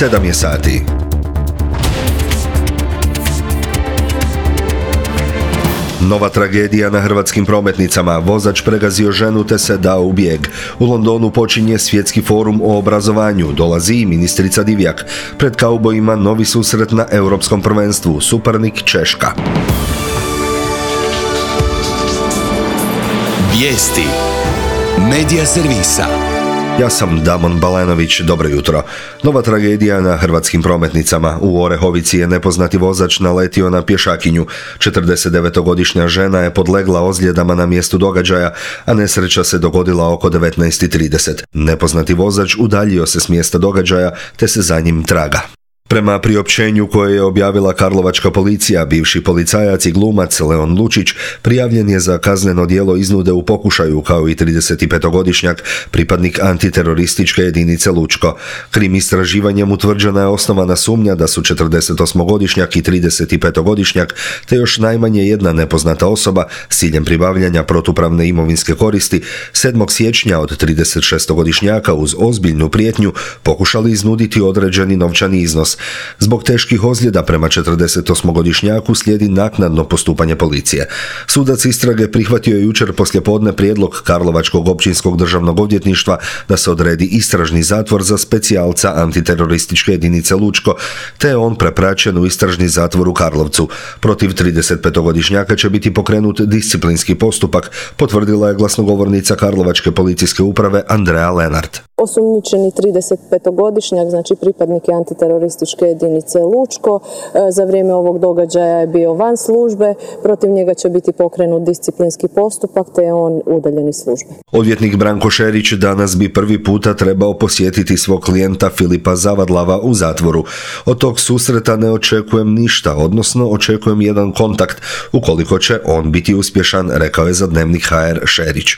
7 je sati. Nova tragedija na hrvatskim prometnicama. Vozač pregazio ženu te se dao u bijeg. U Londonu počinje svjetski forum o obrazovanju. Dolazi i ministrica Divjak. Pred kaubojima novi susret na europskom prvenstvu. Suparnik Češka. Vijesti Medija servisa. Ja sam Damon Balenović, dobro jutro. Nova tragedija na hrvatskim prometnicama. U Orehovici je nepoznati vozač naletio na pješakinju. 49-godišnja žena je podlegla ozljedama na mjestu događaja, a nesreća se dogodila oko 19:30. Nepoznati vozač udaljio se s mjesta događaja, te se za njim traga. Prema priopćenju koje je objavila karlovačka policija, bivši policajac i glumac Leon Lučić prijavljen je za kazneno djelo iznude u pokušaju, kao i 35-godišnjak, pripadnik antiterorističke jedinice Lučko. Krim istraživanjem utvrđena je osnovana sumnja da su 48-godišnjak i 35-godišnjak, te još najmanje jedna nepoznata osoba s ciljem pribavljanja protupravne imovinske koristi 7. siječnja od 36-godišnjaka uz ozbiljnu prijetnju pokušali iznuditi određeni novčani iznos. Zbog teških ozljeda prema 48-godišnjaku slijedi naknadno postupanje policije. Sudac istrage prihvatio je jučer poslijepodne prijedlog Karlovačkog općinskog državnog odvjetništva da se odredi istražni zatvor za specijalca antiterorističke jedinice Lučko, te je on prepraćen u istražni zatvor u Karlovcu. Protiv 35-godišnjaka će biti pokrenut disciplinski postupak, potvrdila je glasnogovornica Karlovačke policijske uprave Andrea Lenart. Osumnjičeni 35-godišnjak, znači pripadnik je antiterorističke jedinice Lučko, za vrijeme ovog događaja je bio van službe, protiv njega će biti pokrenut disciplinski postupak, te je on udaljen iz službe. Odvjetnik Branko Šerić danas bi prvi puta trebao posjetiti svog klijenta Filipa Zavadlava u zatvoru. Od tog susreta ne očekujem ništa, odnosno očekujem jedan kontakt, ukoliko će on biti uspješan, rekao je za Dnevnik HR Šerić.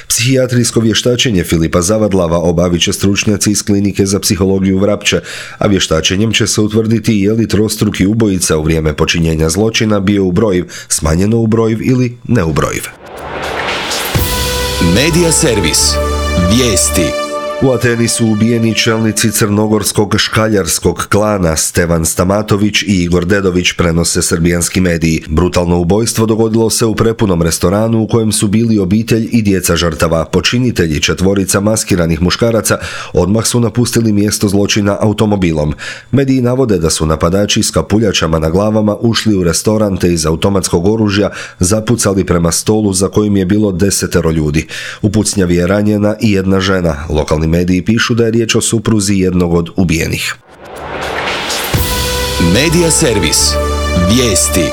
Psihijatrijsko vještačenje Filipa Zavadlava obavit će stručnjaci iz klinike za psihologiju Vrapče, a vještačenjem će se utvrditi je li trostruki ubojica u vrijeme počinjenja zločina bio ubrojiv, smanjeno ubrojiv ili neubrojiv. Medija servis. Vijesti. U Ateni su ubijeni čelnici crnogorskog škaljarskog klana Stevan Stamatović i Igor Dedović, prenose srbijanski mediji. Brutalno ubojstvo dogodilo se u prepunom restoranu u kojem su bili obitelj i djeca žrtava. Počinitelji, 4 maskiranih muškaraca, odmah su napustili mjesto zločina automobilom. Mediji navode da su napadači s kapuljačama na glavama ušli u restoran te iz automatskog oružja zapucali prema stolu za kojim je bilo 10 ljudi. U pucnjavi je ranjena i jedna žena. Lokalni mediji pišu da je riječ o supruzi jednog od ubijenih. Medija servis. Vijesti.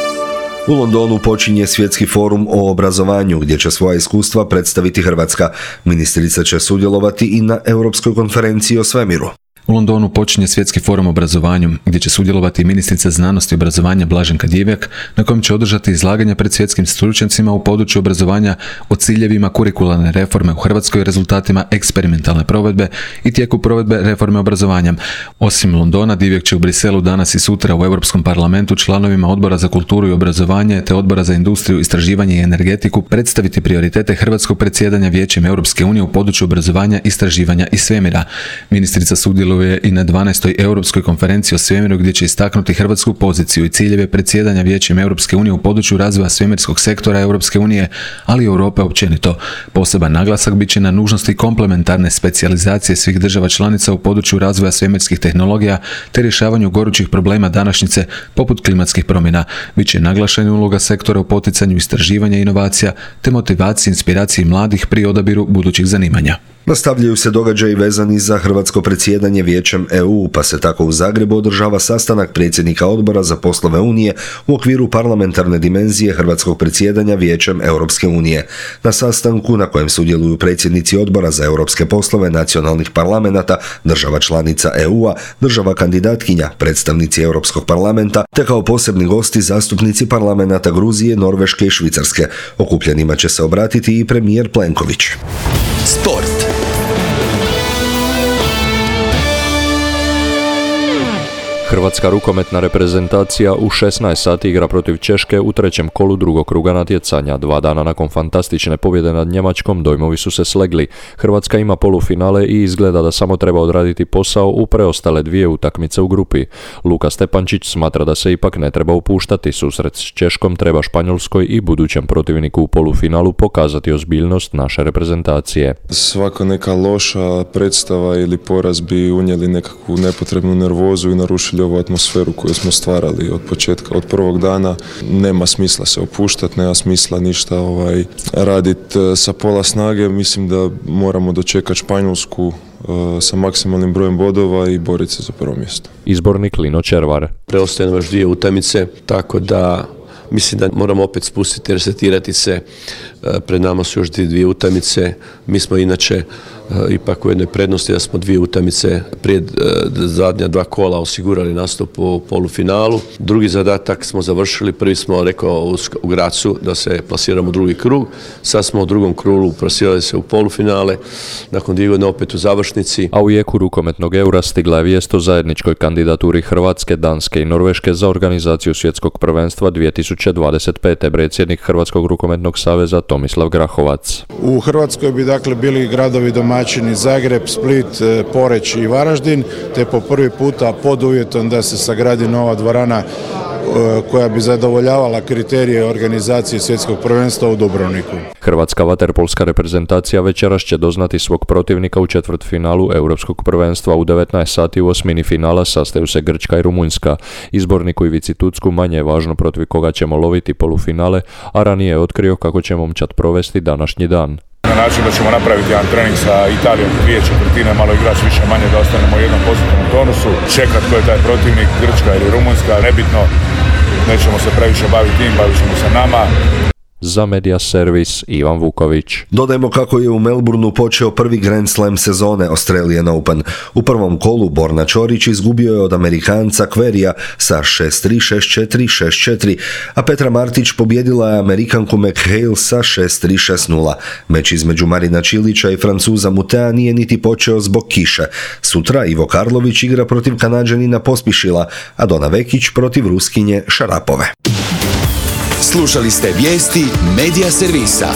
U Londonu počinje svjetski forum o obrazovanju gdje će svoja iskustva predstaviti Hrvatska. Ministrica će sudjelovati i na Europskoj konferenciji o svemiru. U Londonu počinje svjetski forum o obrazovanju, gdje će sudjelovati ministrica znanosti i obrazovanja Blaženka Divjak, na kojem će održati izlaganja pred svjetskim stručnjacima u području obrazovanja o ciljevima kurikularne reforme u Hrvatskoj i rezultatima eksperimentalne provedbe i tijeku provedbe reforme obrazovanja. Osim Londona, Divjak će u Briselu danas i sutra u Europskom parlamentu članovima Odbora za kulturu i obrazovanje te Odbora za industriju, istraživanje i energetiku predstaviti prioritete hrvatskog predsjedanja Vijećem Europske unije u području obrazovanja, istraživanja i svemira. Ministrica sudjeluje i na 12. Europskoj konferenciji o svemiru gdje će istaknuti hrvatsku poziciju i ciljeve predsjedanja Vijećem Europske unije u području razvoja svemirskog sektora Europske unije, ali i Europe općenito. Poseban naglasak bit će na nužnosti komplementarne specijalizacije svih država članica u području razvoja svemirskih tehnologija te rješavanju gorućih problema današnjice poput klimatskih promjena. Biće naglašena uloga sektora u poticanju istraživanja i inovacija te motivaciji i inspiraciji mladih pri odabiru budućih zanimanja. Nastavljaju se događaji vezani za hrvatsko predsjedanje Vijećem EU, pa se tako u Zagrebu održava sastanak predsjednika Odbora za poslove Unije u okviru parlamentarne dimenzije hrvatskog predsjedanja Vijećem Europske unije. Na sastanku, na kojem sudjeluju predsjednici Odbora za europske poslove nacionalnih parlamenata, država članica EU-a, država kandidatkinja, predstavnici Europskog parlamenta, te kao posebni gosti zastupnici parlamenata Gruzije, Norveške i Švicarske. Okupljenima će se obratiti i premijer Plenković. Sport. Hrvatska rukometna reprezentacija u 16 sati igra protiv Češke u trećem kolu drugog kruga natjecanja. 2 dana nakon fantastične pobjede nad Njemačkom dojmovi su se slegli. Hrvatska ima polufinale i izgleda da samo treba odraditi posao u preostale 2 utakmice u grupi. Luka Stepančić smatra da se ipak ne treba upuštati. Susret s Češkom treba Španjolskoj i budućem protivniku u polufinalu pokazati ozbiljnost naše reprezentacije. Svaka neka loša predstava ili poraz bi unijeli nekakvu nepotrebnu nervozu i narušili ovu atmosferu koju smo stvarali od početka, od prvog dana. Nema smisla se opuštati, nema smisla ništa raditi sa pola snage. Mislim da moramo dočekati Španjolsku sa maksimalnim brojem bodova i boriti se za prvo mjesto. Izbornik Lino Červar. Preostaje nam još 2 utakmice, tako da mislim da moramo opet spustiti, resetirati se. Pred nama su još 2 utakmice. Mi smo inače ipak u jednoj prednosti da smo 2 utakmice prije zadnja 2 kola osigurali nastup u polufinalu. Drugi zadatak smo završili, prvi smo rekao u Gracu da se plasiramo u drugi krug. Sad smo u drugom krugu plasirali se u polufinale, nakon 2 godine opet u završnici. A u jeku rukometnog Eura stigla je vijest o zajedničkoj kandidaturi Hrvatske, Danske i Norveške za organizaciju svjetskog prvenstva 2025. Predsjednik Hrvatskog rukometnog saveza Tomislav Grahovac. U Hrvatskoj bi dakle bili gradovi domaćini Zagreb, Split, Poreč i Varaždin, te po prvi puta pod uvjetom da se sagradi nova dvorana koja bi zadovoljavala kriterije organizacije svjetskog prvenstva u Dubrovniku. Hrvatska vaterpolska reprezentacija večeras će doznati svog protivnika u četvrtfinalu Europskog prvenstva. U 19 sati u osmini finala sastaju se Grčka i Rumunjska. Izborniku Ivici Tucku manje je važno protiv koga ćemo loviti polufinale, a ranije je otkrio kako će momčad provesti današnji dan. Na način da ćemo napraviti jedan trening sa Italijom 2/4, malo igrač više manje da ostanemo u jednom pozitivnom tonusu, čekati ko je taj protivnik, Grčka ili Rumunjska, nebitno, nećemo se previše baviti tim, bavit ćemo se nama. Za Media Servis Ivan Vuković. Dodajmo kako je u Melbourneu počeo prvi Grand Slam sezone Australian Open. U prvom kolu Borna Ćorić izgubio je od Amerikanca Querrya sa 6-3, 6-4, 6-4, a Petra Martić pobjedila je Amerikanku McHale sa 6-3, 6-0. Meč između Marina Čilića i Francuza Mutea nije niti počeo zbog kiše. Sutra Ivo Karlović igra protiv Kanađanina Pospišila, a Dona Vekić protiv Ruskinje Šarapove. Slušali ste vijesti Media Servisa.